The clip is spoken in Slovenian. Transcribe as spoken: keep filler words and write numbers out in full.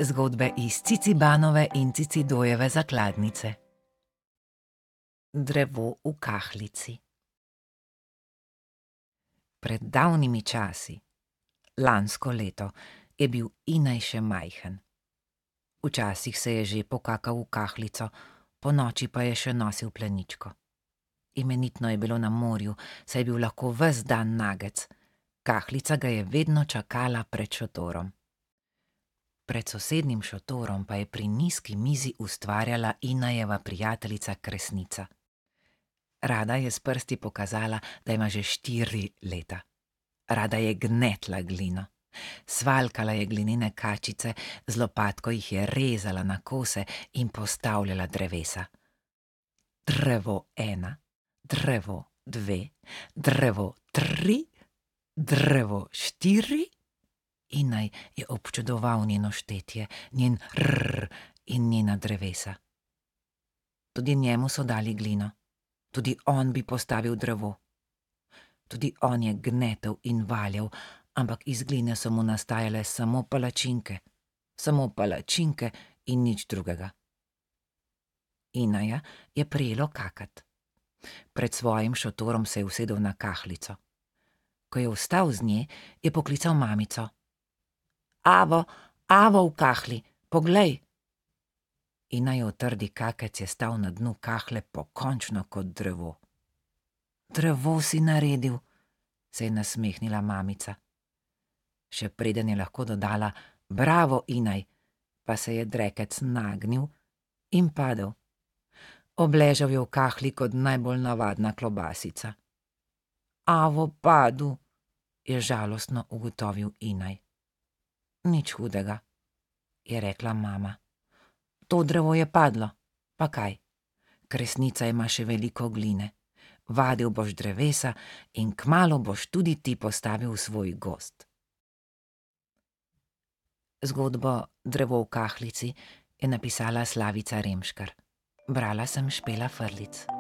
Zgodbe iz Cicibanove in Cicidojeve zakladnice. Drevo v kahlici. Pred davnimi časi, lansko leto, je bil Inaj še majhen. Včasih se je že pokakal v kahlico, ponoči pa je še nosil pleničko. Imenitno je bilo na morju, saj je bil lahko ves dan nagec. Kahlica ga je vedno čakala pred šotorom. Pred sosednjim šotorom pa je pri nizki mizi ustvarjala Inajeva prijateljica Kresnica. Rada je s prsti pokazala, da ima že štiri leta. Rada je gnetla glino. Svalkala je glinene kačice, z lopatko jih je rezala na kose in postavljala drevesa. Drevo ena, drevo dve, drevo tri, drevo štiri. Inaj je občudoval njeno štetje, njen rrr in njena drevesa. Tudi njemu so dali glino. Tudi on bi postavil drevo. Tudi on je gnetel in valjal, ampak iz gline so mu nastajale samo palačinke. Samo palačinke in nič drugega. Inaja je prijelo kakat. Pred svojim šotorom se je usedel na kahlico. Ko je vstal z nje, je poklical mamico. Avo, Avo v kahli, poglej! Inajev trdi kakec je stal na dnu kahle pokončno kot drevo. Drevo si naredil, se je nasmehnila mamica. Še preden je lahko dodala bravo, Inaj, pa se je drekec nagnil in padel. Obležal je v kahli kot najbolj navadna klobasica. Avo padu, je žalostno ugotovil Inaj. Nič hudega, je rekla mama. To drevo je padlo, pa kaj? Kresnica ima še veliko gline. Vadil boš drevesa in kmalu boš tudi ti postavil svoj gozd. Zgodbo Drevo v kahlici je napisala Slavica Remškar. Brala sem Špela Frlic.